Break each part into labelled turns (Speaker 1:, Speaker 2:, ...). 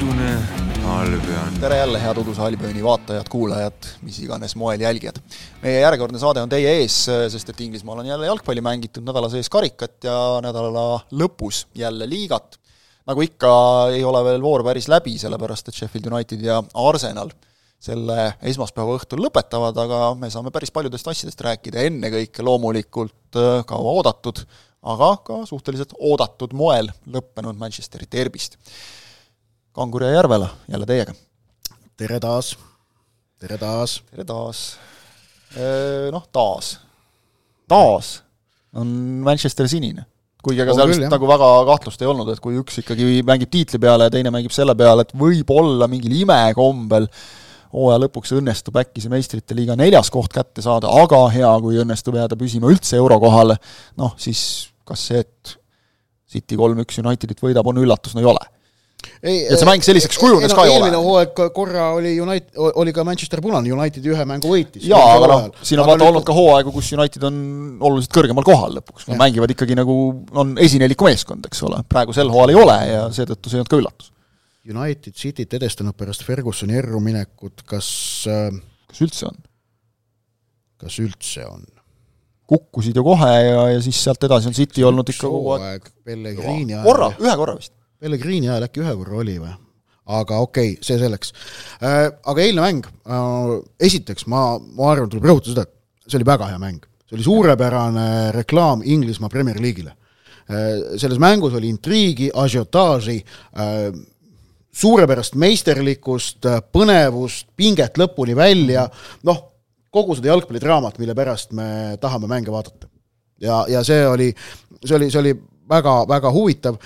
Speaker 1: udune Albion.
Speaker 2: Tere jälle, head Uduse Albioni vaatajad, kuulajad, mis iganes moel jälgijad. Meie järjekordne saade on teie ees, sest et Inglismaal on jälle jalgpalli mängitud, nädala sees karikat ja nädala lõpus jälle liigat. Nagu ikka ei ole veel voor päris läbi, sellepärast et Sheffield United ja Arsenal selle esmaspäeva õhtul lõpetavad, aga me saame päris paljudest asjadest rääkida, ennekõike loomulikult kaua oodatud, aga ka suhteliselt oodatud moel lõppenud Manchesteri derbist. Kangur ja Järvela, jälle teiega.
Speaker 3: Tere taas. Taas on Manchester sinine. Kuigi aga seal nagu väga kahtlust ei olnud, et kui üks ikkagi mängib tiitli peale ja teine mängib selle peale, et võib-olla mingil imekombel hooaja lõpuks õnnestub äkki see meistrite liiga 4. koht kätte saada, aga hea, kui õnnestub jääda püsima üldse eurokohale, siis kas see, et City 3-1 Unitedit võidab, on üllatus, ei ole. Ja see mäng selliseks kujunes ka ei ole.
Speaker 4: Eelmine hooaeg korra oli ka Manchester punane, United ühe mängu võitis.
Speaker 3: Jaa, aga siin on vaata olnud ka hooaegu, kus United on oluliselt kõrgemal kohal lõpuks. Mängivad ikkagi nagu on esineliku meeskond, eks ole. Praegu sel hooal ei ole ja seetõttu see ei olnud ka üllatus.
Speaker 4: United Cityt edestanud pärast Fergusoni erruminekut, kas
Speaker 3: üldse on?
Speaker 4: Kas üldse on?
Speaker 3: Kukkusid ju kohe ja siis sealt edasi on City olnud ikka kogu aeg. Ühe korra vist.
Speaker 4: Pellegrini ajal äkki ühe korra oli või? Aga okei, see selleks. Aga eilne mäng, esiteks ma arvan, tuleb rõhutada seda, et see oli väga hea mäng. See oli suurepärane reklaam Inglismaa Premier League'ile. Selles mängus oli intriigi, ažiotaaži, suurepärast meisterlikkust, põnevust, pinget lõpuni välja, kogu seda jalgpallidraamat, mille pärast me tahame mänge vaadata. Ja see oli väga, väga huvitav.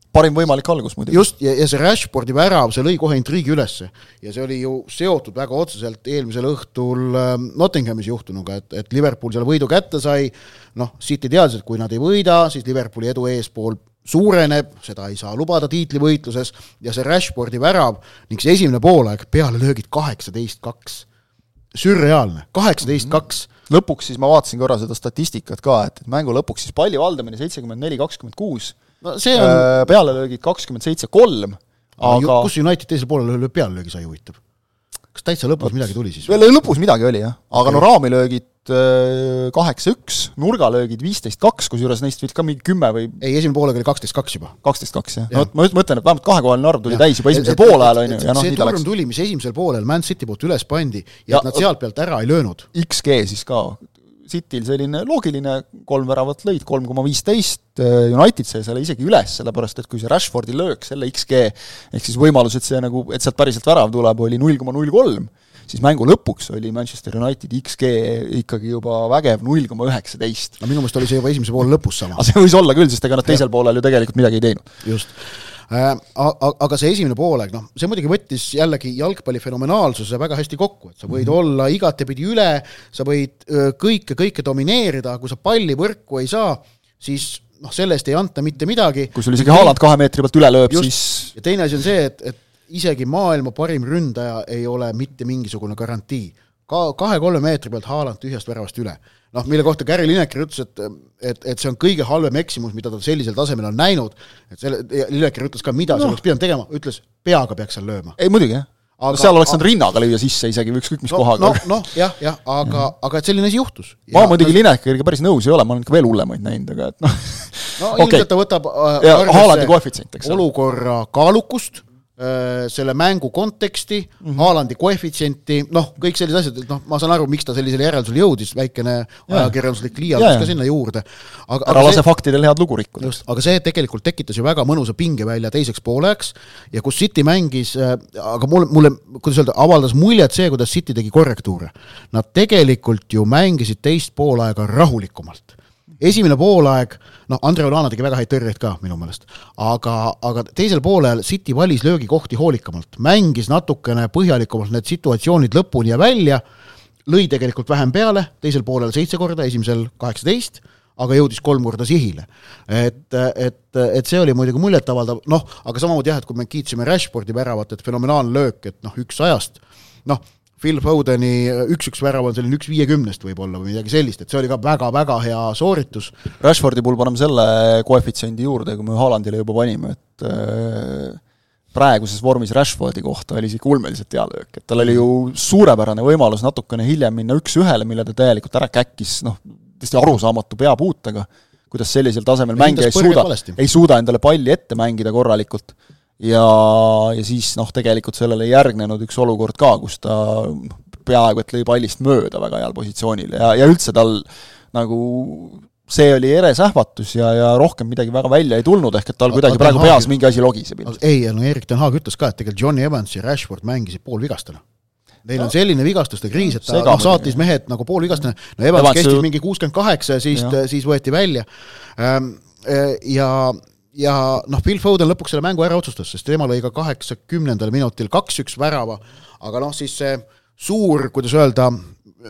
Speaker 3: Parim võimalik algus muidugi.
Speaker 4: Just, ja see Rashfordi värav, see lõi kohe intriigi ülesse. Ja see oli ju seotud väga otseselt eelmisel õhtul Nottinghamis juhtunuga, et Liverpool seal võidu kätte sai. City teadis, et kui nad ei võida, siis Liverpooli edu eespool suureneb, seda ei saa lubada tiitlivõitluses ja see Rashfordi värav ning see esimene poolaeg peale löögid 18-2. Sürreaalne, 18-2.
Speaker 3: Lõpuks siis ma vaatasin korra seda statistikat ka, et mängu lõpuks siis palli valdamine 74-26, see on pealelöögid 27-3, aga
Speaker 4: kus United teisel poolel pealelöögi sai huvitav? Kas täitsa lõpus midagi tuli siis?
Speaker 3: Lõpus midagi oli, jah. Aga raamilöögid 8-1, nurgalöögid 15-2, kusjuures neist võid ka mingi 10 või...
Speaker 4: Ei, esimene poolega oli 12-2 juba.
Speaker 3: 12-2, jah. Ma mõtlen, et vähemalt kahekohaline arv tuli täis juba esimesel poolajal.
Speaker 4: See turm tuli, mis esimesel poolel Man City poolt üles pandi ja nad sealt pealt ära ei löönud.
Speaker 3: XG siis ka. Cityl selline loogiline 3 väravat lõid, 3,15, United sai selle isegi üles, sellepärast, et kui see Rashfordi löök, selle XG, ehk siis võimalus, et sealt päriselt värav tuleb, oli 0,03, siis mängu lõpuks oli Manchester United XG ikkagi juba vägev 0,19.
Speaker 4: Minu meelest oli see juba esimese poole lõpus sama.
Speaker 3: Aga see võis olla küll, sest ega nad teisel poolel ju tegelikult midagi ei teinud.
Speaker 4: Just. Aga see esimene pooleg, see muidugi võttis jällegi jalgpalli fenomenaalsuse väga hästi kokku, et sa võid olla igatepidi üle, sa võid kõike domineerida, kui sa palli võrku ei saa, siis sellest ei anta mitte midagi.
Speaker 3: Kui sul isegi Haaland 2 meetri pealt üle lööb,
Speaker 4: just,
Speaker 3: siis...
Speaker 4: Ja teine asi on see, et isegi maailma parim ründaja ei ole mitte mingisugune garantii. 2-3 meetri pealt Haaland tühjast väravast üle. Mille kohta Gary Lineker ütles, et see on kõige halvem eksimus, mida ta sellisel tasemel on näinud. Lineker ütles ka, mida see oleks pidanud tegema. Ütles, peaga peaks seal lööma.
Speaker 3: Ei, muidugi, jah. Seal oleks nad rinnaga lüüa sisse isegi või ükskõik mis kohaga.
Speaker 4: Jah, aga et selline asi juhtus.
Speaker 3: Ma muidugi Linekeriga päris nõus ei ole, ma olen ka veel hullemaid näinud, aga
Speaker 4: ilmselt ta võtab
Speaker 3: Haalandi koefitsient,
Speaker 4: olukorra kaalukust, selle mängu konteksti, Haalandi koefitsienti, kõik sellised asjad, ma saan aru, miks ta sellisele järeldusele jõudis, väikene ajakirjanduslik liialdus ka sinna juurde.
Speaker 3: Ära lase faktidel head lugu rikkuda.
Speaker 4: Aga see tegelikult tekitas ju väga mõnusa pinge välja teiseks pooleks ja kus City mängis, aga mulle kuidas öelda, avaldas muljet see, kuidas City tegi korrektuure. Nad tegelikult ju mängisid teist poolaega rahulikumalt. Esimene poolaeg, Andre Olana tegi väga häid tõrjeid ka minu meelest, aga teisel poolel City valis löögikohti hoolikamalt, mängis natukene põhjalikumalt need situatsioonid lõpuni ja välja, lõi tegelikult vähem peale, teisel poolel 7 korda, esimesel 18, aga jõudis 3 korda sihile. Et see oli muidugi muljetavaldav, aga samamoodi jah, et kui me kiitsime Rashfordi väravat, et fenomenaalne löök, et 1-1, Phil Fodeni 1-1 värav on selline 1-50 võib-olla või midagi sellist, et see oli ka väga-väga hea sooritus.
Speaker 3: Rashfordi puhul paneme selle koefitsiendi juurde, kui me Haalandile juba panime, et praeguses vormis Rashfordi kohta oli isegi ulmeliselt hea löök, et tal oli ju suurepärane võimalus natukene hiljem minna 1-1, mille ta täielikult ära käkkis, tõesti arusaamatu peapuutega, kuidas sellisel tasemel mängija ei suuda endale palli ette mängida korralikult ja siis tegelikult sellele järgnenud üks olukord ka, kus ta peaaegu et lõi pallist mööda väga heal positsioonil ja üldse tal nagu see oli eres ähvatus ja rohkem midagi väga välja ei tulnud, ehk et tal kuidagi praegu peas mingi asi logiseb.
Speaker 4: Ei, Erik Ten Hag ütles ka, et tegelikult Johnny Evans ja Rashford mängisid poolvigastena. Neil on selline vigastuste kriis, et ta saatis mehed nagu poolvigastena. Evans kestis mingi 68 ja siis võeti välja. Ja Phil Foden lõpuks selle mängu ära otsustas, sest tema lõi ka 80. minutil 2-1 värava, aga siis see suur, kuidas öelda,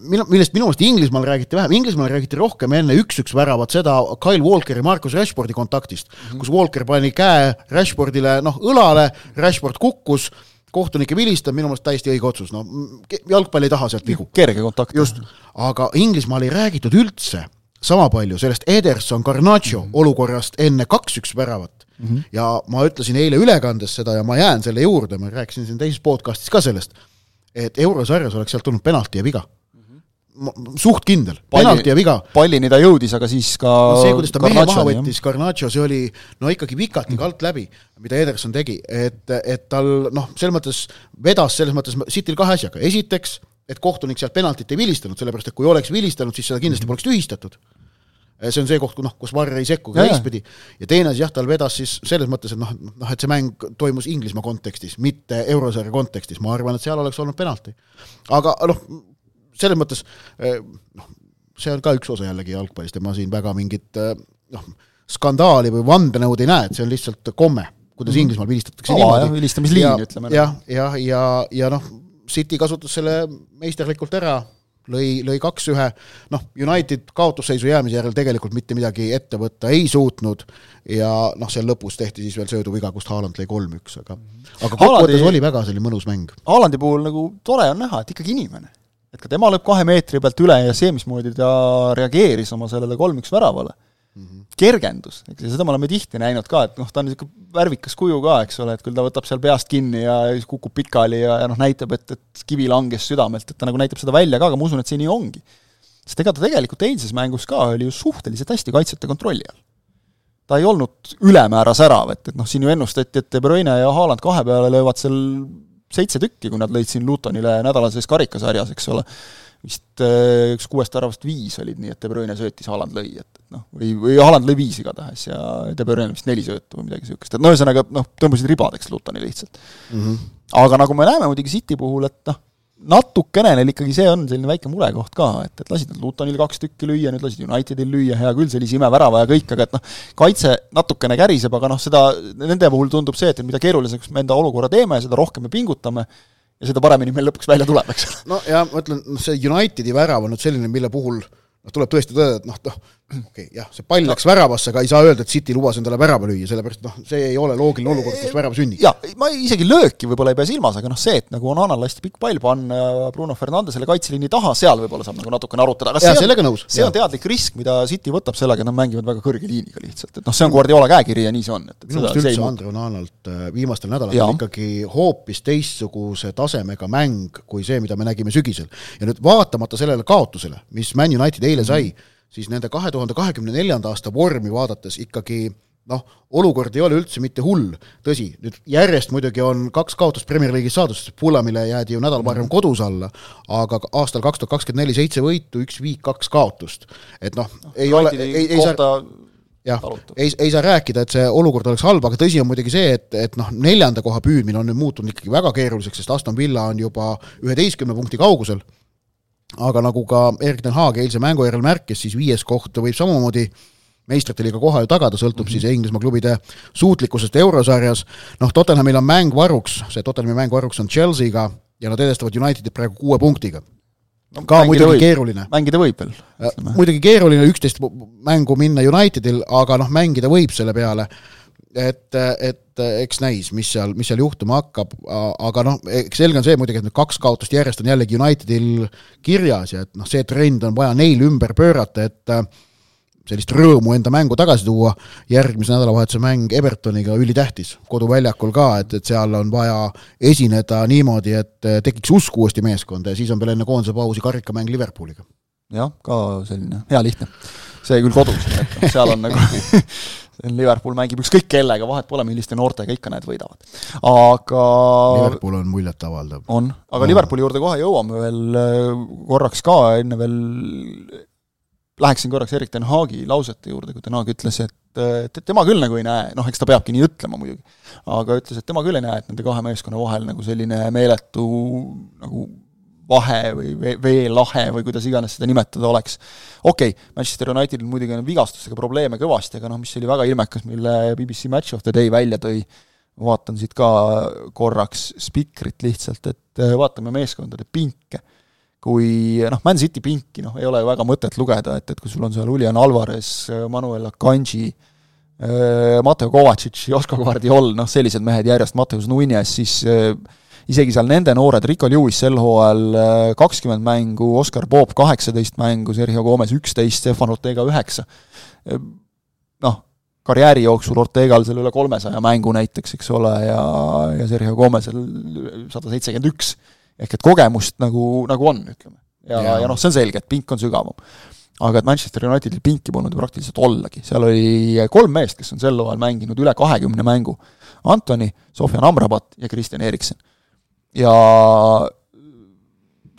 Speaker 4: millest minu meelest Inglismaal räägiti vähem, Inglismaal räägiti rohkem enne 1-1 väravat seda Kyle Walkeri Marcus Rashfordi kontaktist, kus Walker pani käe Rashfordile õlale, Rashford kukkus, kohtunike vilistab, minu meelest täiesti õige otsus, jalgpall ei taha sealt vigu.
Speaker 3: Kerge kontakt.
Speaker 4: Just, aga Inglismaal ei räägitud üldse sama palju sellest Ederson Garnacho olukorrast enne 2-1 väravat. Ja ma ütlesin eile ülekandes seda ja ma jään selle juurde, ma rääkisin siin teises podcastis ka sellest, et eurosarjas oleks sealt tulnud penalti ja viga. Suht kindel, penalti ja viga.
Speaker 3: Pallini ta jõudis, aga siis ka
Speaker 4: see, kuidas ta mehe maha võttis, Garnacho, see oli ikkagi vikati kalt läbi, mida Ederson tegi, et tal selles mõttes vedas, selles mõttes Cityl kahe asjaga. Esiteks, et kohtunik sealt penaltit ei vilistanud, sellepärast, et kui oleks vilistanud, siis seda kindlasti poleks tühistatud. See on see koht, kus VAR ei sekku ka teistpidi. Ja teine asi, tal vedas siis selles mõttes, et see mäng toimus Inglismaa kontekstis, mitte eurosarja kontekstis. Ma arvan, et seal oleks olnud penalti. Aga selles mõttes, see on ka üks osa jällegi jalgpallist ja ma siin väga mingit skandaali või vandenõud ei näe, et see on lihtsalt komme, kuidas Inglismaal vilistatakse niimoodi.
Speaker 3: Vilistamisliin, ütleme.
Speaker 4: Ja City kasutas selle meisterlikult ära, lõi 2-1, United kaotusseisu jäämise järel tegelikult mitte midagi ette võtta ei suutnud ja seal lõpus tehti siis veel sööduviga, kust Haaland lõi 3-1, aga kokkuvõttes oli väga selline mõnus mäng.
Speaker 3: Haalandi puhul nagu tore on näha, et ikkagi inimene. Et ka tema lõb 2 meetri pealt üle ja see, mismoodi ta reageeris oma sellele 3-1 väravale. Kergendus, seda me oleme tihti näinud ka, et ta on värvikas kuju ka, eks ole, et küll ta võtab seal peast kinni ja kukub pikali ja näitab, et kivi langes südamelt, et ta nagu näitab seda välja ka, aga ma usun, et see nii ongi. Sest ega ta tegelikult eilses mängus ka oli ju suhteliselt hästi kaitsjate kontrolli all. Ta ei olnud ülemäära särav, et siin ju ennustati, et De Bruyne ja Haaland 2 peale löövad seal 7 tükki, kui nad lõid siin Lutonile nädalases karikasarjas, eks ole. Vist 6 väravast 5 olid nii, et De Bruyne söötis, Haaland lõi, või Haaland lõi 5 igatahes ja De Bruyne vist 4 söötu või midagi süükest. Et ühesõnaga, tõmbasid ribadeks Lutoni lihtsalt. Aga nagu me näeme muidugi City puhul, et natukene neil ikkagi see on selline väike murekoht ka, et lasid nad Lutonil 2 tükki lüüa, nüüd lasid Unitedil lüüa, hea küll, sellise imevärava ja kõik, aga et kaitse natukene käriseb, aga seda, nende puhul tundub see, et mida keeruliseks me enda olukorra teeme, seda rohkem me pingutame ja seda paremini meil lõpuks välja tuleb, eks.
Speaker 4: Ja ma ütlen, see Unitedi värav on selline, mille puhul tuleb tõesti tõdeda, et see pall läks väravasse, aga ei saa öelda, et City lubas endale värava lüüa, sellepärast see ei ole loogiline olukord, kus värava sünnib.
Speaker 3: Ja, ma isegi lööki võib-olla ei pea silmas, aga see, et nagu on Anal lasti pikk pall panna Bruno Fernandesele kaitseliini taha, seal võib-olla saab nagu natukene arutada. Aga see on teadlik risk, mida City võtab sellega, et nad mängivad väga kõrge liiniga lihtsalt. Et see on Guardiola käekiri ja nii see on.
Speaker 4: Minu meelest üldse Andre Onanalt viimastel nädalatel ikkagi hoopis teistsuguse tasemega mäng kui see, mida me nägime sügisel. Ja nüüd vaatamata sellele kaotusele, mis Man United eile sai, siis nende 2024. aasta vormi vaadates ikkagi, olukord ei ole üldse mitte hull. Tõsi, nüüd järjest muidugi on 2 kaotust Premier League'is saadus, sest Fulhamile jäädi ju nädal varem kodus alla, aga aastal 2024 7 võitu, 1 viik, 2 kaotust. Et ei ole, ei saa rääkida, et see olukord oleks halb, aga tõsi on muidugi see, et 4. koha püüdmine on nüüd muutunud ikkagi väga keeruliseks, sest Aston Villa on juba 11 punkti kaugusel. Aga nagu ka Erik Ten Hag eilse mängu järel märkis, siis 5. koht võib samamoodi meistrite koha ju tagada, sõltub siis Inglismaa klubide suutlikkusest eurosarjas. Tottenhamil on mäng varuks, see Tottenhami mäng varuks on Chelsea'ga ja nad edestavad Unitedit praegu 6 punktiga. Ka muidugi keeruline.
Speaker 3: Mängida võib veel.
Speaker 4: Muidugi keeruline 11 mängu minna Unitedil, aga mängida võib selle peale. Et eks näis, mis seal juhtuma hakkab, aga selge on see muidugi, et nüüd 2 kaotust järjest on jällegi Unitedil kirjas ja et see trend on vaja neil ümber pöörata, et sellist rõõmu enda mängu tagasi tuua, järgmise nädalavahetuse mäng Evertoniga ülitähtis, koduväljakul ka, et seal on vaja esineda niimoodi, et tekiks usku uuesti meeskonda ja siis on veel enne koondise pausi karikamäng Liverpooliga.
Speaker 2: Jah, ka selline hea lihtne. See küll kodus, et seal on nagu Liverpool mängib ükskõik kellega, vahet pole, milliste noortega ikka need võidavad. Aga
Speaker 4: Liverpool on muljet avaldav.
Speaker 2: On, aga Liverpooli juurde kohe jõuame veel korraks ka, enne veel läheksin korraks Erik Ten Hagi lausete juurde, kui Ten Hag ütles, et tema küll nagu ei näe, eks ta peabki nii ütlema muidugi, aga ütles, et tema küll ei näe, et nende kahe meeskonna vahel nagu selline meeletu nagu vahe või veelahe või kuidas iganes seda nimetada oleks. Okei, Manchester Unitedil muidugi on vigastustega probleeme kõvasti, aga mis oli väga ilmekas, mille BBC Match of the Day välja tõi, vaatan siit ka korraks spikrit lihtsalt, et vaatame meeskondade pinke. Kui Man City pinki ei ole väga mõtet lugeda, et kui sul on seal Julian Alvarez, Manuel Akanji, Mateo Kovacic, Josko Guardiol, sellised mehed järjest, Mateus Nunes, siis isegi seal nende noored, Rico Lewis sel hooajal 20 mängu, Oscar Bob 18 mängu, Sergio Gomez 11, Stefan Ortega 9. Karjääri jooksul Ortegal seal üle 300 mängu näiteks, eks ole, ja Sergio Gomezil 171. Ehk et kogemust nagu on, ütleme. Ja see on selge, et pink on sügavam. Aga et Manchester Unitedil pinki polnud praktiliselt ollagi. Seal oli 3 meest, kes on sel hooajal mänginud üle 20 mängu. Antoni, Sofjan Amrabat ja Christian Eriksen. Ja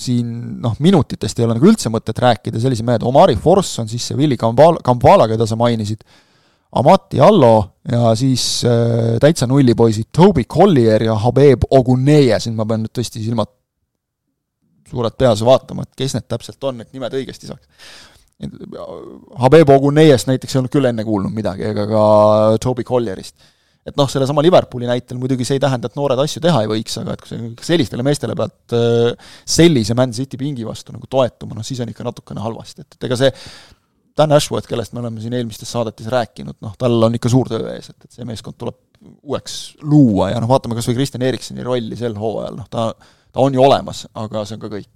Speaker 2: siin minutitest ei ole nagu üldse mõtet rääkida, sellise mehed, Omari Forss on siis see Willi Kampala, keda sa mainisid, Amati Allo ja siis täitsa nullipoisid Toby Collier ja Habeb Oguneye, siin ma pean nüüd tõesti silmad suured peas vaatama, et kes need täpselt on, et nimed õigesti saaks. Habeb Oguneyest näiteks ei olnud küll enne kuulnud midagi, ega ka Toby Collierist. Et selle sama Liverpooli näitel muidugi see ei tähenda, et noored asju teha ei võiks, aga et kui sellistele meestele pealt sellise Man City pingi vastu nagu toetuma, siis on ikka natukene halvasti. Et ega see Dan Ashworth, kellest me oleme siin eelmistes saadetis rääkinud, tal on ikka suur töö ees, et see meeskond tuleb uueks luua ja vaatame kas või Christian Erikseni rolli sel hooajal, ta on ju olemas, aga see on ka kõik.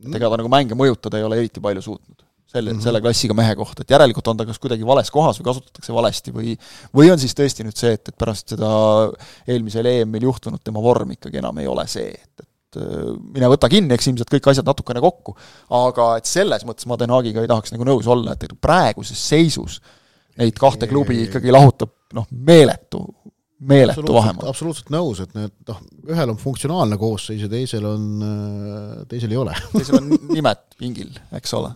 Speaker 2: Et ega ta nagu mänge mõjutada ei ole eriti palju suutnud. Selle klassiga mehe kohta, et järelikult on ta kas kuidagi vales kohas või kasutatakse valesti või on siis tõesti nüüd see, et pärast seda eelmisel EM-il juhtunud tema vorm ikkagi enam ei ole see, et mine võta kinni, eks ilmselt kõik asjad natukene kokku, aga et selles mõttes ma Ten Hagiga ei tahaks nagu nõus olla, et praeguses seisus neid kahte klubi ikkagi lahutab meeletu vahemaa.
Speaker 4: Absoluutselt nõus, et need, ühel on funktsionaalne koosseis ja teisel ei ole.
Speaker 2: Teisel on nimed pingil, eks ole.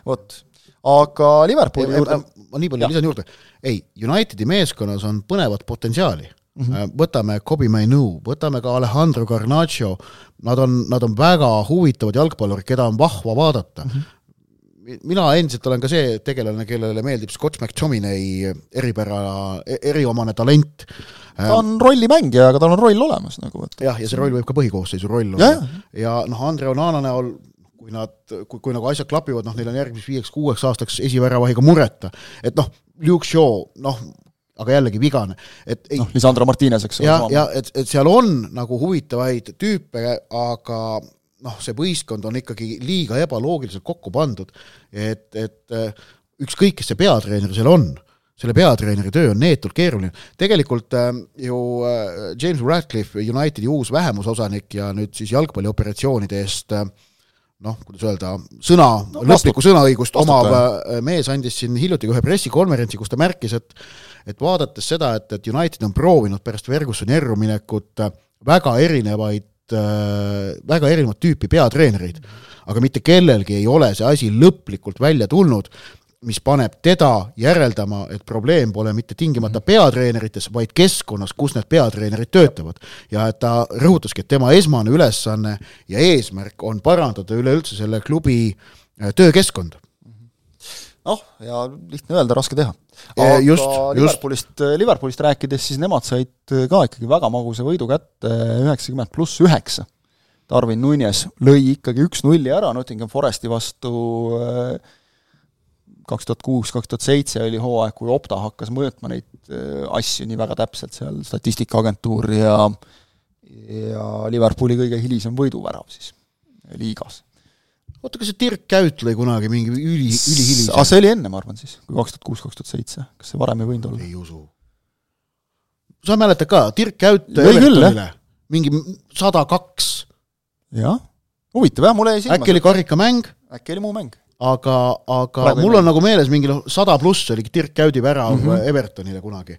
Speaker 2: Vot. Aga Liverpooli juurde...
Speaker 4: Ma nii palju lisan juurde. Unitedi meeskonnas on põnevat potentsiaali. Võtame Kobe Mainu, võtame ka Alejandro Garnacho, nad on väga huvitavad jalgpallurid, keda on vahva vaadata. Mina endiselt olen ka see tegelane, kellele meeldib Scott McTominay eriomane talent.
Speaker 2: Ta on rollimängija, aga tal on roll olemas.
Speaker 4: Ja see roll võib ka põhikoosseisu roll olla. Ja Andre Onana näol, kui nagu asjad klapivad, neil on järgmis 5-6 aastaks esiväravahiga mureta. Et Luke Shaw, aga jällegi vigane.
Speaker 2: Lisandro Martinez, eks ole.
Speaker 4: Ja et seal on nagu huvitavaid tüüpe, aga see võistkond on ikkagi liiga ebaloogiliselt kokku pandud, et ükskõik, kes see peatreener seal on, selle peatreeneri töö on neetult keeruline. Tegelikult ju James Radcliffe, Unitedi uus vähemusosanik ja nüüd siis jalgpallioperatsioonide eest, kuidas öelda, lõplikku sõnaõigust omav mees andis siin hiljuti ühe pressikonverentsi, kus ta märkis, et vaadates seda, et United on proovinud pärast Fergusoni erruminekut väga erinevat tüüpi peatreenereid, aga mitte kellelgi ei ole see asi lõplikult välja tulnud, mis paneb teda järeldama, et probleem pole mitte tingimata peatreenerites, vaid keskkonnas, kus need peatreenerid töötavad. Ja et ta rõhutaski, et tema esmane ülesanne ja eesmärk on parandada üleüldse selle klubi töökeskkonda.
Speaker 2: Ja lihtne öelda, raske teha. Aga Liverpoolist rääkides, siis nemad said ka ikkagi väga magusa võidu kätte 90+9. Darwin Nunes lõi ikkagi 1-0 ära Nottingham Foresti vastu 2006-2007 oli hooaeg, kui Opta hakkas mõõtma neid asju nii väga täpselt seal statistikaagentuur ja Liverpooli kõige hilisem võiduvärav siis liigas.
Speaker 4: oota, kas see Dirk Käut lõi kunagi mingi ülihilis?
Speaker 3: See oli enne, ma arvan siis, kui 2006-2007. Kas see varem ei võinud olla?
Speaker 4: Ei usu. Sa mäletad ka, Dirk Käut Evertonile mingi 102.
Speaker 3: Jah, huvitav, jah, mulle jäi silma.
Speaker 4: Äkki oli karikamäng?
Speaker 3: Äkki oli muu mäng.
Speaker 4: Aga mul on nagu meeles mingi 100 pluss oli Dirk Käudi värav Evertonile kunagi.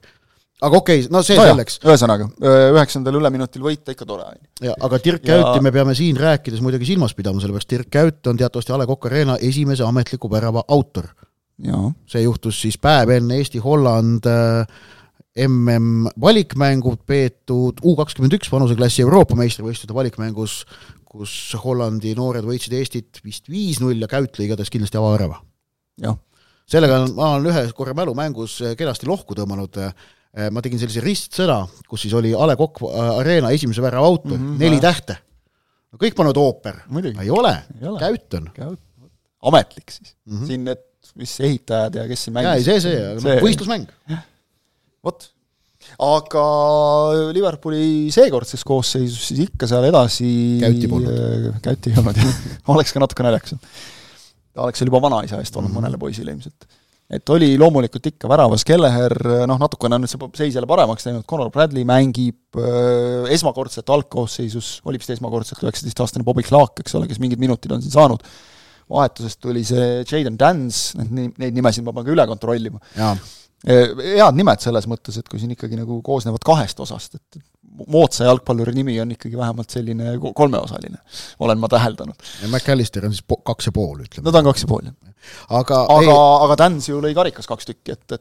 Speaker 4: Aga okei, no see selleks.
Speaker 3: Ühesõnaga, 9. üleminutil võita ikka tore.
Speaker 4: Ja, aga Dirk Käuti me peame siin rääkides muidugi silmas pidama, sellepärast Dirk Käut on teatavasti A. Le Coq Arena esimese ametliku värava autor.
Speaker 3: Ja.
Speaker 4: See juhtus siis päev enne Eesti-Holland MM valikmängud peetud U21 vanuseklassi Euroopa meistrivõistluste valikmängus, kus Hollandi noored võitsid Eestit vist 5-0 ja Käut lõi igatahes kindlasti avavärava.
Speaker 3: Ja.
Speaker 4: Sellega ma olen ühe korra mälumängus kenasti lohku tõmmanud. Ma tegin sellise ristsõna, kus siis oli A. Le Coq Arena esimese värava autor, 4 tähte. No kõik pannud ooper. Ei ole. Käut on.
Speaker 3: Ametlik siis. Siin need, mis ehitajad ja kes siin mängis.
Speaker 4: See võistlusmäng.
Speaker 3: Vot. Aga Liverpooli seekordses koosseisus siis ikka seal edasi
Speaker 4: Käuti polnud.
Speaker 3: Käuti ei olnud. Oleks ka natuke naljakas. Ta oleks seal juba vanaisa eest olnud mõnele poisile ilmselt. Et oli loomulikult ikka väravas Kelleher, natukene on nüüd see seis jälle paremaks teinud, Conor Bradley mängib esmakordselt algkoosseisus, oli vist esmakordselt 19-aastane Bobby Clark, eks ole, kes mingid minutid on siin saanud. Vahetusest tuli see Jayden Dance, neid nimesid ma pean ka üle kontrollima. Head nimed selles mõttes, et kui siin ikkagi nagu koosnevad 2 osast, et moodsa jalgpalluri nimi on ikkagi vähemalt selline 3-osaline, olen ma täheldanud.
Speaker 4: Ja McAllister on siis 2,5, ütleme.
Speaker 3: No ta on 2,5, jah. Aga Dance ju lõi karikas 2 tükki, et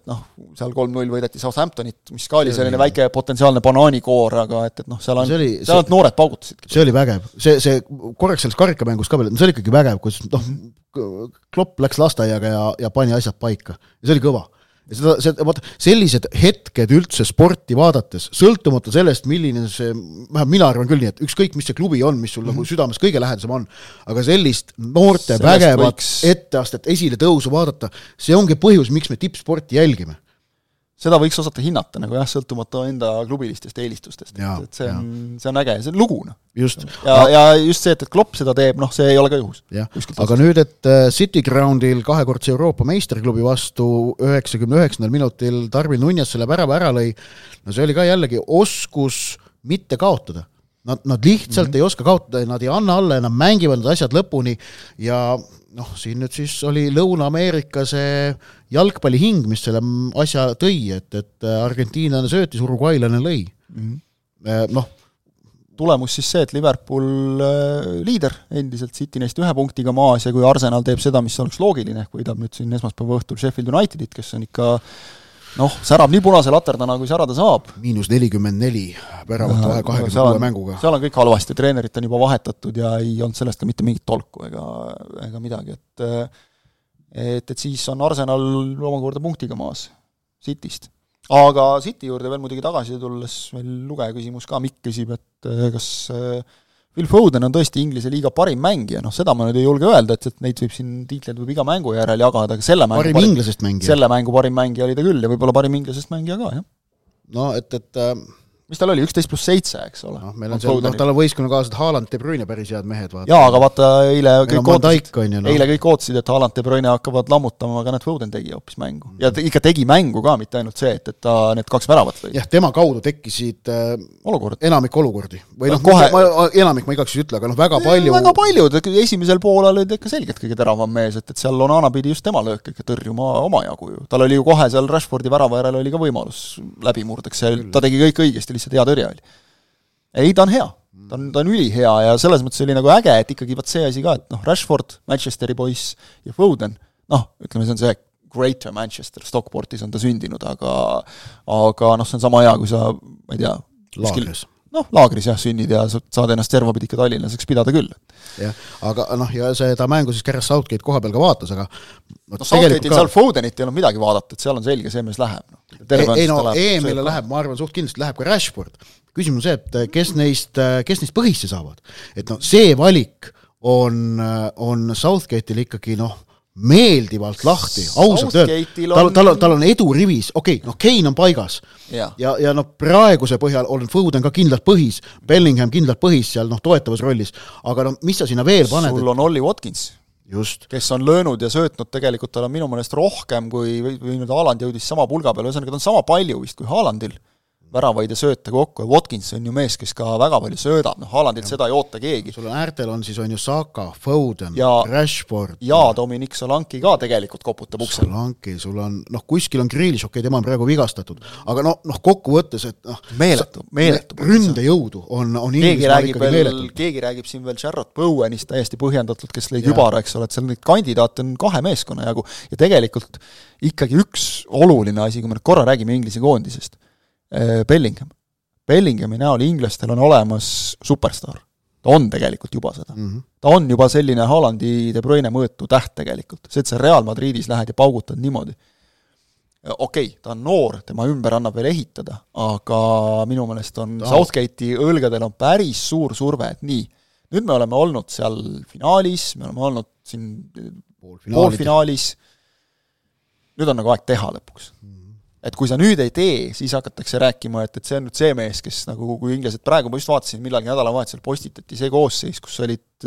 Speaker 3: seal 3-0 võideti Southamptonit, mis ka oli selline väike potentsiaalne banaanikoor, aga et seal on noored paugutasid.
Speaker 4: See oli vägev. See korraks selles karikamängus ka veel, see oli ikkagi vägev, kus Klopp läks lasteaiaga ja pani asjad paika. Ja see oli kõva. Sellised hetked üldse sporti vaadates, sõltumata sellest, milline see, mina arvan küll nii, et ükskõik, mis see klubi on, mis sul nagu südames kõige lähedasem on, aga sellist noorte vägevat etteastet esile tõusu vaadata, see ongi põhjus, miks me tippsporti jälgime.
Speaker 3: Seda võiks osata hinnata, nagu juhtumata enda klubilistest eelistustest. Et see on äge, see on luguna.
Speaker 4: Just.
Speaker 3: Ja just see, et Klopp seda teeb, see ei ole ka juhus.
Speaker 4: Aga nüüd, et City Groundil kahekordse Euroopa meistriklubi vastu 99. minutil Darwin Núñez selle värava ära lõi, no see oli ka jällegi oskus mitte kaotada. Nad lihtsalt ei oska kaotada, nad ei anna alla ja nad mängivad need asjad lõpuni ja siin nüüd siis oli Lõuna-Ameerika see jalgpallihing, mis selle asja tõi, et Argentiinlane söötis, Uruguaylane lõi.
Speaker 3: Tulemus siis see, et Liverpool liider endiselt City neist 1 punktiga maas ja kui Arsenal teeb seda, mis oleks loogiline, ehk võidab nüüd siin esmaspäeva õhtul Sheffield Unitedit, kes on ikka särab nii punase laterdana, kui särada saab.
Speaker 4: -44 väravat 26 mänguga.
Speaker 3: Seal on kõik halvasti, treenerit on juba vahetatud ja ei olnud sellest ka mitte mingit tolku ega midagi, et siis on Arsenal omakorda punktiga maas Cityst. Aga City juurde veel muidugi tagasi tulles veel lugeja küsimus ka, Mikk küsib, et kas Phil Foden on tõesti Inglise liiga parim mängija, seda ma nüüd ei julge öelda, et neid võib siin tiitleid võib iga mängu järel jagada, aga selle mängu parim mängija oli ta küll ja võib-olla parim inglasest mängija ka, jah.
Speaker 4: No,
Speaker 3: mis tal oli, 11+7, eks ole?
Speaker 4: Tal on võistkonnakaaslased Haaland, De Bruyne päris head mehed.
Speaker 3: Jaa, aga vaata, eile kõik ootasid, et Haaland, De Bruyne hakkavad lammutama, aga Foden tegi hoopis mängu. Ja ikka tegi mängu ka, mitte ainult see, et ta need 2 väravat lõi.
Speaker 4: Jah, tema kaudu tekkisid enamik olukordi. Või enamik ma igaks ütle, aga väga palju.
Speaker 3: Väga paljud, esimesel poolel olid ikka selgelt kõige teravam mees, et seal Onana pidi just tema löök ikka tõrjuma oma jagu ju. Tal oli ju kohe seal Rashfordi värava järel oli ka võimalus läbimurdeks, ta tegi kõik õigesti, lihtsalt hea tõrja oli. Ei, ta on hea. Ta on ülihea ja selles mõttes oli nagu äge, et ikkagi see asi ka, et Rashford, Manchesteri poiss ja Foden, ütleme, see on see Greater Manchester, Stockportis on ta sündinud, aga see on sama hea, kui sa, ma ei tea, laagris sünnid ja saad ennast servapidi ikka tallinlaseks pidada küll.
Speaker 4: Jah, aga ja seda mängu siis Gareth Southgate koha peal ka vaatas, aga
Speaker 3: Southgate'il seal Fodenit ei olnud midagi vaadata, et seal on selge, see mees läheb.
Speaker 4: EM-ile läheb, ma arvan, suht kindlasti läheb ka Rashford. Küsimus see, et kes neist põhisse saavad. Et see valik on Southgate'il ikkagi meeldivalt lahti, ausalt tal on edu rivis, Kane on paigas ja praeguse põhjal on Foden ka kindlalt põhis, Bellingham kindlalt põhis seal toetavas rollis, aga mis sa sinna veel paned?
Speaker 3: Sul on Ollie Watkins,
Speaker 2: kes on löönud ja söötnud tegelikult tal on minu meelest rohkem või nüüd Haaland jõudis sama pulga peale, ühesõnaga ta on sama palju vist kui Haalandil väravaid ja sööte kokku ja Watkins on ju mees, kes ka väga palju söödab, Haalandilt seda ei oota keegi.
Speaker 4: Sul on äärtel on siis on ju Saka, Foden, Rashford
Speaker 2: ja Dominic Solanki ka tegelikult koputab uksel.
Speaker 4: Solanki, sul on, kuskil on Grealish, tema on praegu vigastatud, aga kokkuvõttes, et
Speaker 2: meeletu.
Speaker 4: Ründejõudu on Inglismaal ikkagi meeletu.
Speaker 2: Keegi räägib siin veel Jarrod Bowenist täiesti põhjendatult, kes lõi kübara, eks ole, et seal neid kandidaate on 2 meeskonna jagu ja tegelikult ikkagi üks oluline asi, kui me nüüd korra räägime Inglise koondisest, Bellinghami näol inglastel on olemas superstar. Ta on tegelikult juba seda. Ta on juba selline Haalandi De Bruyne mõõtu täht tegelikult. See, et sa Real Madridis lähed ja paugutad niimoodi. Okei, ta on noor, tema ümber annab veel ehitada, aga minu meelest on Southgate'i õlgadel on päris suur surve, et nii, nüüd me oleme olnud seal finaalis, me oleme olnud siin poolfinaalis, nüüd on nagu aeg teha lõpuks. Et kui sa nüüd ei tee, siis hakatakse rääkima, et see on nüüd see mees, kes nagu kui inglased praegu, ma just vaatasin, millalgi nädalavahetusel postitati see koosseis, kus olid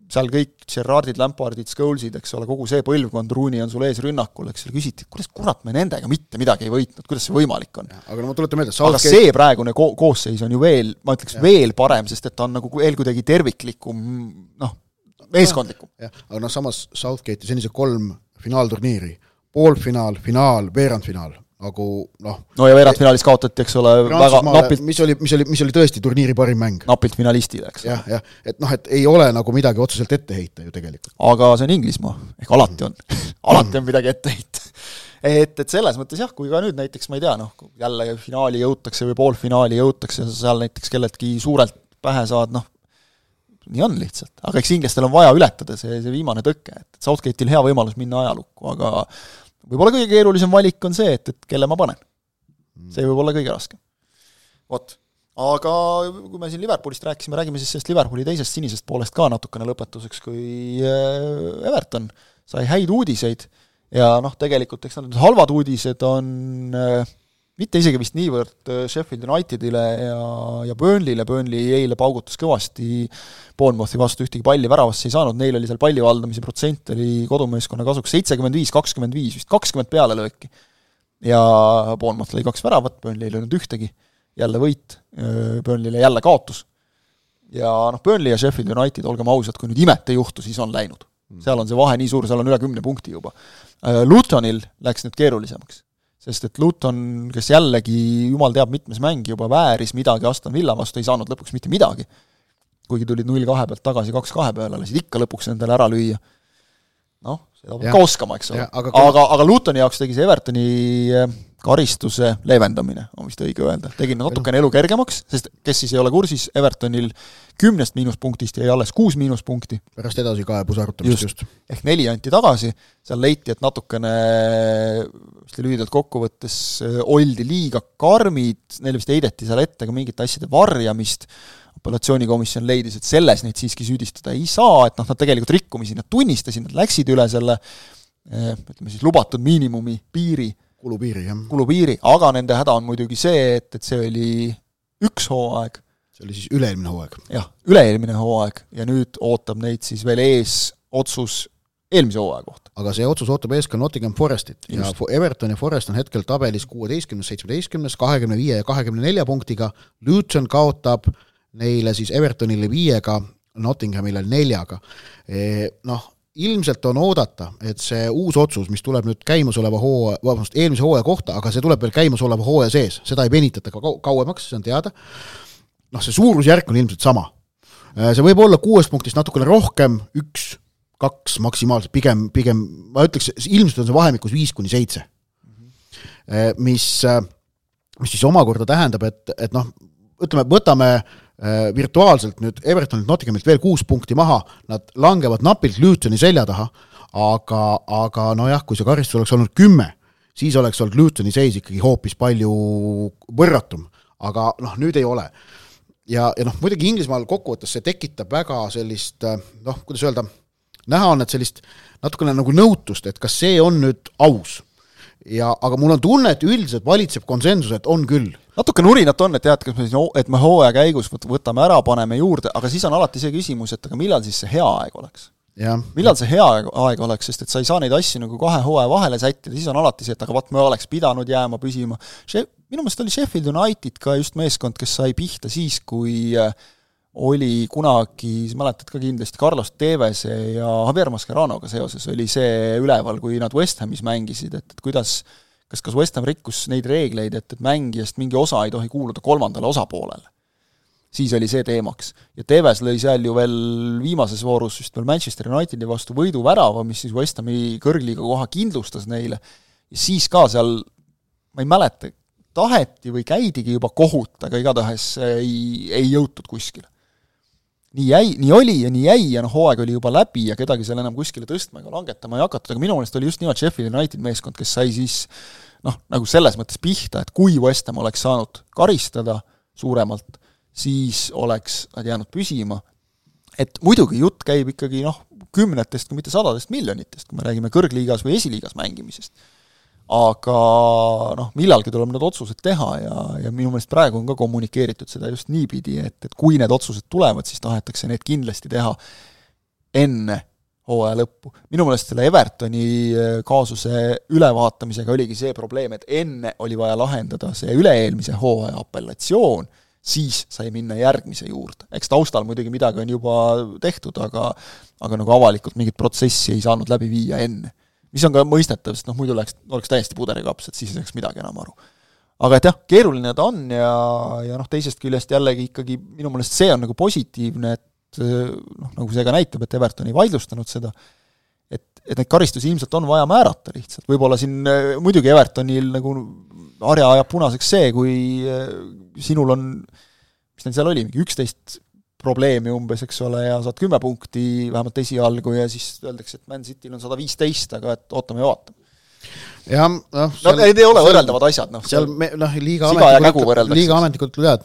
Speaker 2: seal kõik Gerrardid, Lampardid, Scholesid, eks ole, kogu see põlvkond, Rooney on sul ees rünnakul, eks ole, küsiti, kuidas kurat me nendega mitte midagi ei võitnud, kuidas see võimalik on?
Speaker 4: Aga ma tuletan meelde,
Speaker 2: aga see praegune koosseis on ju veel, ma ütleks veel parem, sest et ta on nagu veel kuidagi terviklikum, meeskondlikum.
Speaker 4: Aga samas Southgate'i senise 3 finaalturniiri, poolfinaal, finaal, veerandfinaal, nagu
Speaker 2: ja veerandfinaalis kaotati, eks ole, väga napilt,
Speaker 4: mis oli tõesti turniiri parim mäng.
Speaker 2: Napilt finalistile, eks.
Speaker 4: Et ei ole nagu midagi otseselt ette heita ju tegelikult.
Speaker 2: Aga see on Inglismaa, ehk alati on midagi ette heita. Et selles mõttes jah, kui ka nüüd näiteks, ma ei tea, jälle finaali jõutakse või poolfinaali jõutakse, seal näiteks kelletki suurelt pähe saad, nii on lihtsalt. Aga eks inglastel on vaja ületada see viimane tõkke, et Southgate'il hea võimalus minna ajalukku, aga võib-olla kõige keerulisem valik on see, et kelle ma panen. See võib olla kõige raskem. Vot. Aga kui me siin Liverpoolist räägime siis sellest Liverpooli teisest sinisest poolest ka natukene lõpetuseks, kui Everton sai häid uudiseid ja tegelikult eks need halvad uudised on mitte isegi vist niivõrd Sheffield Unitedile ja Burnley'le, Burnley eile paugutas kõvasti Bournemouthi vastu ühtegi palli väravasse ei saanud, neil oli seal palli valdamise protsent oli kodumeeskonna kasuks 75-25, vist 20 peale lööki. Ja Bournemouth lõi 2 väravat, Burnley ei löönud ühtegi, jälle võit, Burnley'le jälle kaotus. Ja Burnley ja Sheffield United, olgem ausad, kui nüüd imet ei juhtu, siis on läinud. Seal on see vahe nii suur, seal on üle 10 punkti juba. Lutonil läks nüüd keerulisemaks. Sest et Luton, kes jällegi jumal teab mitmes mängi juba vääris midagi Aston Villa vastu, ei saanud lõpuks mitte midagi. Kuigi tulid 0-2 pealt tagasi 2-2 peale, lasid ikka lõpuks endale ära lüüa. Seda peab ka oskama, eks ole. Aga Lutoni jaoks tegi see Evertoni karistuse leevendamine, on vist õige öelda. Tegin natukene elu kergemaks, sest kes siis ei ole kursis, Evertonil 10 miinuspunktist jäi alles 6 miinuspunkti.
Speaker 4: Pärast edasi kaebus arutamist just.
Speaker 2: Ehk 4 anti tagasi, seal leiti, et natukene lühidalt kokkuvõttes oldi liiga karmid, neile vist heideti seal ette ka mingite asjade varjamist, apellatsioonikomisjon leidis, et selles neid siiski süüdistada ei saa, et nad tegelikult rikkumisi nad tunnistasid, nad läksid üle selle ütleme siis lubatud miinimumi piiri, kulupiiri, aga nende häda on muidugi see, et see oli üks hooaeg.
Speaker 4: See oli siis üle-eelmine hooaeg.
Speaker 2: Jah, üle-eelmine hooaeg ja nüüd ootab neid siis veel ees otsus eelmise hooaja kohta.
Speaker 4: Aga see otsus ootab ees ka Nottingham Forestit ja Everton ja Forest on hetkel tabelis 16, 17, 25 ja 24 punktiga. Luton kaotab neile siis Evertonile 5, Nottinghamile 4. Ilmselt on oodata, et see uus otsus, mis tuleb nüüd käimasoleva eelmise hooaja kohta, aga see tuleb veel käimasoleva hooaja sees, seda ei venitata kauemaks, see on teada. See suurusjärk on ilmselt sama. See võib olla 6 punktist natukene rohkem, 1, 2 maksimaalselt, pigem ma ütleks, ilmselt on see vahemikus 5-7. Mis siis omakorda tähendab, et ütleme, võtame virtuaalselt nüüd Evertonilt Nottinghamilt veel 6 punkti maha, nad langevad napilt Lutoni selja taha, aga kui see karistus oleks olnud 10, siis oleks olnud Lutoni seis ikkagi hoopis palju võrratum, aga nüüd ei ole. Ja muidugi Inglismaal kokkuvõttes see tekitab väga sellist, kuidas öelda, näha on, et sellist natukene nagu nõutust, et kas see on nüüd aus. Aga mul on tunne, et üldiselt valitseb konsensus, et on küll.
Speaker 2: Natuke nurinat on, et me hooaja käigus võtame ära, paneme juurde, aga siis on alati see küsimus, et aga millal siis see hea aeg oleks. millal see hea aeg oleks, sest et sa ei saa neid asju nagu 2 hooaja vahele sättida, siis on alati see, et aga vaat me oleks pidanud jääma püsima. Minu meelest oli Sheffield United ka just meeskond, kes sai pihta siis, kui oli kunagi, mäletad ka kindlasti, Carlos Tevese ja Javier Mascheranoga seoses oli see üleval, kui nad West Hamis mängisid, et kuidas, kas West Ham rikkus neid reegleid, et mängijast mingi osa ei tohi kuuluda 3. osapoolele. Siis oli see teemaks. Ja Teves lõi seal ju veel viimases voorus just veel Manchester Unitedi vastu võiduvärava, mis siis West Hami kõrgliiga koha kindlustas neile. Ja siis ka seal, ma ei mäleta, taheti või käidigi juba kohut, aga igatahes ei jõutud kuskile. Nii oli ja nii jäi ja hooaeg oli juba läbi ja kedagi seal enam kuskile tõstma ega langetama ei hakatud, aga minu meelest oli just nimelt Sheffield United meeskond, kes sai siis nagu selles mõttes pihta, et kui West Ham oleks saanud karistada suuremalt, siis oleks nad jäänud püsima. Et muidugi jutt käib ikkagi 10, kui mitte 100 miljonitest, kui me räägime kõrgliigas või esiliigas mängimisest. Aga millalgi tuleb need otsused teha ja minu meelest praegu on ka kommunikeeritud seda just niipidi, et kui need otsused tulevad, siis tahetakse need kindlasti teha enne hooaja lõppu. Minu meelest selle Evertoni kaasuse ülevaatamisega oligi see probleem, et enne oli vaja lahendada see üle-eelmise hooaja apellatsioon, siis sai minna järgmise juurde. Eks taustal muidugi midagi on juba tehtud, aga nagu avalikult mingit protsessi ei saanud läbi viia enne. Mis on ka mõistetav, sest muidu oleks täiesti puderikaps, et siis ei saaks midagi enam aru. Aga et jah, keeruline ta on ja teisest küljest jällegi ikkagi minu meelest see on nagu positiivne, et nagu see ka näitab, et Everton ei vaidlustanud seda, et neid karistusi ilmselt on vaja määrata lihtsalt. Võib-olla siin muidugi Evertonil nagu harja ajab punaseks see, kui sinul on, mis neil seal oli, 11 probleemi umbes, eks ole, ja saad 10 punkti vähemalt esialgu ja siis öeldakse, et Man Cityl on 115, aga et ootame ja vaatame.
Speaker 4: Ja,
Speaker 2: need ei ole võrreldavad asjad.
Speaker 4: Liiga ametnikud üle, et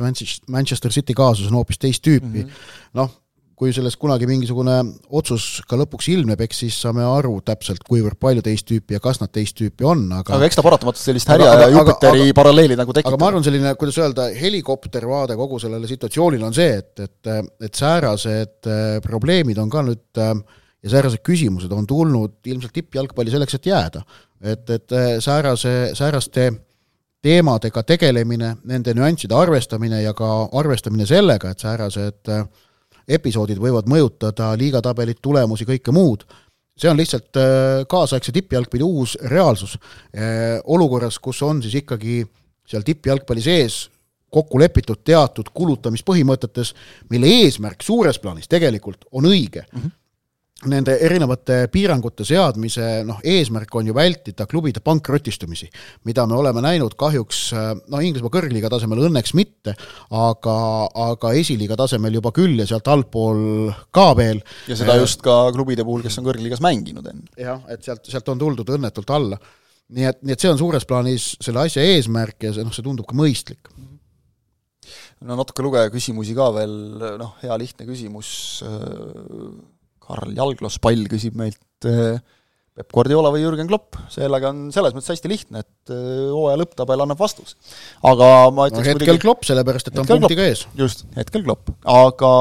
Speaker 4: Manchester City kaasus on hoopis teist tüüpi. Kui sellest kunagi mingisugune otsus ka lõpuks ilmneb, eks siis saame aru täpselt, kuivõrd palju teist tüüpi ja kas nad teist tüüpi on. Aga
Speaker 2: eks ta paratamatult sellist härja ja Jupiteri paralleeli nagu tekitab.
Speaker 4: Aga ma arvan selline, kuidas öelda, helikoptervaade kogu sellele situatsioonile on see, et säärased probleemid on ka nüüd ja säärased küsimused on tulnud ilmselt tippjalgpalli selleks, et jääda. Et sääraste teemadega tegelemine, nende nüansside arvestamine ja ka arvestamine sellega, et säärased episoodid võivad mõjutada liigatabelit, tulemusi, kõike muud. See on lihtsalt kaasaegse tippjalgpalli uus reaalsus. Olukorras, kus on siis ikkagi seal tippjalgpalli sees kokku lepitud teatud kulutamispõhimõtetes, mille eesmärk suures plaanis tegelikult on õige. Nende erinevate piirangute seadmise eesmärk on ju vältida klubide pankrotistumisi, mida me oleme näinud kahjuks Inglismaa kõrgliiga tasemel õnneks mitte, aga esiliiga tasemel juba küll ja sealt allpool ka veel.
Speaker 2: Ja seda just ka klubide puhul, kes on kõrgliigas mänginud enne.
Speaker 4: Jah, et sealt on tuldud õnnetult alla. Nii et see on suures plaanis selle asja eesmärk ja see tundub ka mõistlik.
Speaker 2: Natuke lugeja küsimusi ka veel, hea lihtne küsimus. Karl Jalglospall küsib meilt Pep Guardiola või Jürgen Klopp. Sellega on selles mõttes hästi lihtne, et hooaja lõpptabel annab vastus. Aga ma ütleks
Speaker 4: hetkel Klopp, sellepärast, et on punktiga ees.
Speaker 2: Just, hetkel Klopp. Aga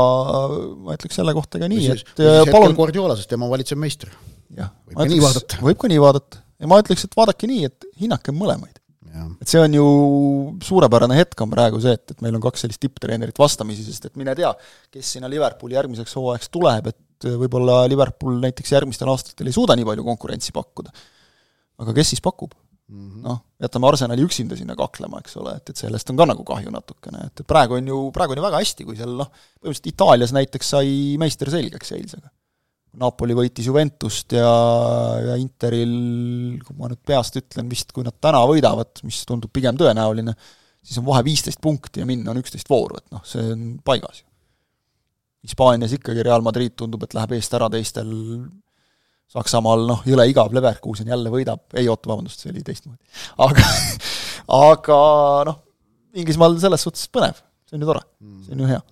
Speaker 2: ma ütleks selle kohta ka nii, et
Speaker 4: hetkel Guardiola, sest tema valitseb meister.
Speaker 2: Võib ka nii vaadata. Ja ma ütleks, et vaadake nii, et hinnake mõlemaid. Et see on ju suurepärane hetk on praegu see, et meil on 2 sellist tipptreenerit vastamisi, sest et mine tea, kes sinna Liverpooli järgmiseks hooajaks tuleb, et võib-olla Liverpool näiteks järgmistel aastatel ei suuda nii palju konkurentsi pakkuda. Aga kes siis pakub? Jätame Arsenali üksinda sinna kaklema, eks ole, et sellest on ka nagu kahju natukene. Et praegu on ju väga hästi, kui seal põhimõtteliselt Itaalias näiteks sai meister selgeks eilsega. Napoli võitis Juventust ja Interil, kui ma nüüd peast ütlen vist, kui nad täna võidavad, mis tundub pigem tõenäoline, siis on vahe 15 punkti ja minna on 11 vooru, et see on paigas. Hispaanias ikkagi Real Madrid tundub, et läheb eest ära teistel Saksamaal, jõle igav Leverkusen jälle võidab, ei oota, vabandust, see oli teistmoodi. Aga Inglismaal selles suhtes põnev, see on ju tore, see on ju hea.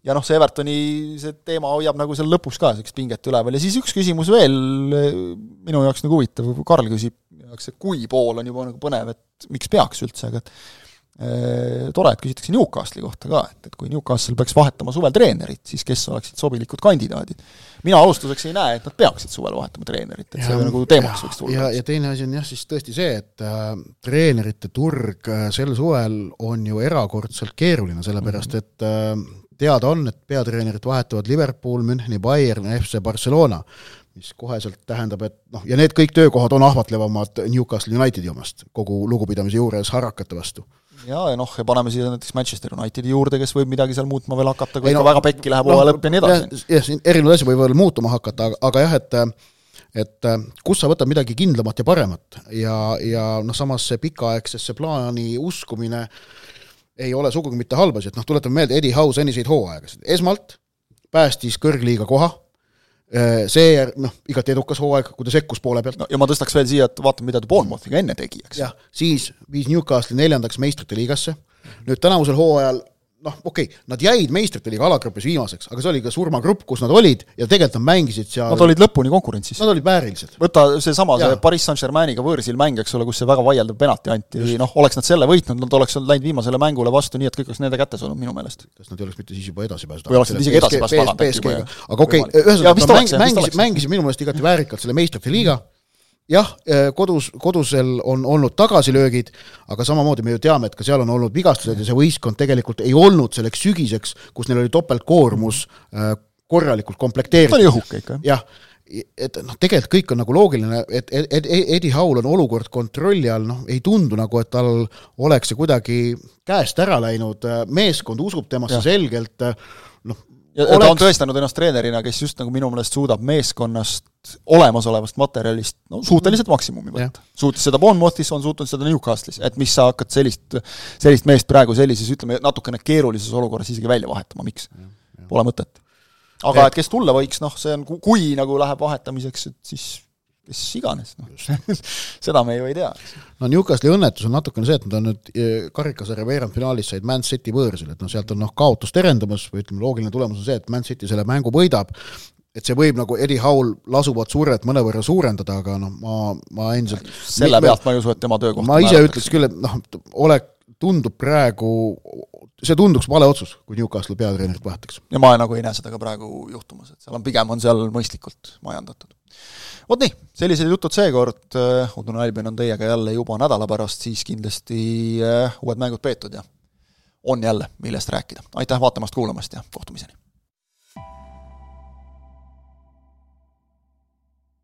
Speaker 2: Ja see Evertoni see teema hoiab nagu seal lõpus ka selleks pinget üleval ja siis üks küsimus veel minu jaoks nagu huvitav, Karl küsib, kui pool on juba nagu põnev, et miks peaks üldse, aga tore, et küsitakse Newcastli kohta ka, et kui Newcastle peaks vahetama suvel treenerit, siis kes oleksid sobilikud kandidaadid. Mina alustuseks ei näe, et nad peaksid suvel vahetama treenerit, et see nagu teemaks võiks tulla.
Speaker 4: Ja teine asi on jah, siis tõesti see, et treenerite turg sel suvel on ju erakordselt keeruline, sellepärast et teada on, et peatreenerit vahetavad Liverpool, Müncheni Bayern ja FC Barcelona, mis koheselt tähendab, et ja need kõik töökohad on ahvatlevamad Newcastle Unitedi omast, kogu lugupidamise juures harakate vastu.
Speaker 2: Ja paneme siia näiteks Manchester Unitedi juurde, kes võib midagi seal muutma veel hakata, kui ikka väga pekki läheb hooaja lõpp ja nii edasi.
Speaker 4: Jah, erinevad asja võib veel muutuma hakata, aga jah, et kus sa võtad midagi kindlamat ja paremat ja samas see pikaaegsesse plaani uskumine ei ole sugugi mitte halbasi, et tuletame meelde Eddie Howe seniseid hooaegasid. Esmalt päästis kõrgliiga koha, see igati edukas hooaeg, kui ta sekkus poole pealt.
Speaker 2: Ja ma tõstaks veel siia, et vaatame, mida ta Bournemouthiga enne tegi, eks.
Speaker 4: Jah, siis viis Newcastle 4. meistrite liigasse. Nüüd tänavusel hooajal, nad jäid meistrite liiga alagrupis viimaseks, aga see oli ka surmagrupp, kus nad olid ja tegelikult nad mängisid seal.
Speaker 2: Nad olid lõpuni konkurentsis.
Speaker 4: Nad olid väärilised.
Speaker 2: Võta see Paris Saint-Germainiga võõrsil mäng, eks ole, kus see väga vaieldav penalti anti. Oleks nad selle võitnud, nad oleks läinud viimasele mängule vastu nii, et kõik oleks nende kätes olnud minu meelest.
Speaker 4: Kas nad ei oleks mitte siis juba edasi pääsnud?
Speaker 2: Või oleks nad isegi edasi pääsnud?
Speaker 4: Aga ühesõnaga mängisid minu meelest igati väärikalt selle meistrite liiga. Jah, kodusel on olnud tagasilöögid, aga samamoodi me ju teame, et ka seal on olnud vigastused ja see võistkond tegelikult ei olnud selleks sügiseks, kus neil oli topeltkoormus korralikult komplekteeritud.
Speaker 2: Ta oli õhuke ikka.
Speaker 4: Jah, et tegelikult kõik on nagu loogiline, et Eddie Howe on olukord kontrolli all, ei tundu nagu, et tal oleks see kuidagi käest ära läinud, meeskond usub temasse selgelt,
Speaker 2: ja ta on tõestanud ennast treenerina, kes just nagu minu meelest suudab meeskonnast olemasolevast materjalist suhteliselt maksimumi võtta. Suutis seda Bournemouthis, on suutnud seda Newcastle'is, et mis sa hakkad sellist meest praegu sellises, ütleme, natukene keerulises olukorras isegi välja vahetama, miks? Pole mõtet. Aga et kes tulla võiks, see on, kui nagu läheb vahetamiseks, et siis kes iganes. Seda me ju ei tea.
Speaker 4: Newcastle'i õnnetus on natukene see, et nad on nüüd karikasarja veerandfinaalis said Man City võõrsil, et sealt on kaotus terendamas, või ütleme, loogiline tulemus on see, et Man City selle mängu võidab, et see võib nagu Eddie Howe lasuvat surret mõnevõrra suurendada, aga ma endiselt
Speaker 2: selle pealt ma ei usu, et tema töökoht
Speaker 4: ma ise ütleks küll, et tundub praegu, see tunduks vale otsus, kui Newcastle peatreenerit vahetaks.
Speaker 2: Ja ma nagu ei näe seda ka praegu juhtumas, et pigem on seal mõistlikult majandatud. Vot nii, sellised jutud seekord, Udune Albion on teiega jälle juba nädala pärast, siis kindlasti uued mängud peetud ja on jälle millest rääkida. Aitäh vaatamast, kuulamast ja kohtumiseni!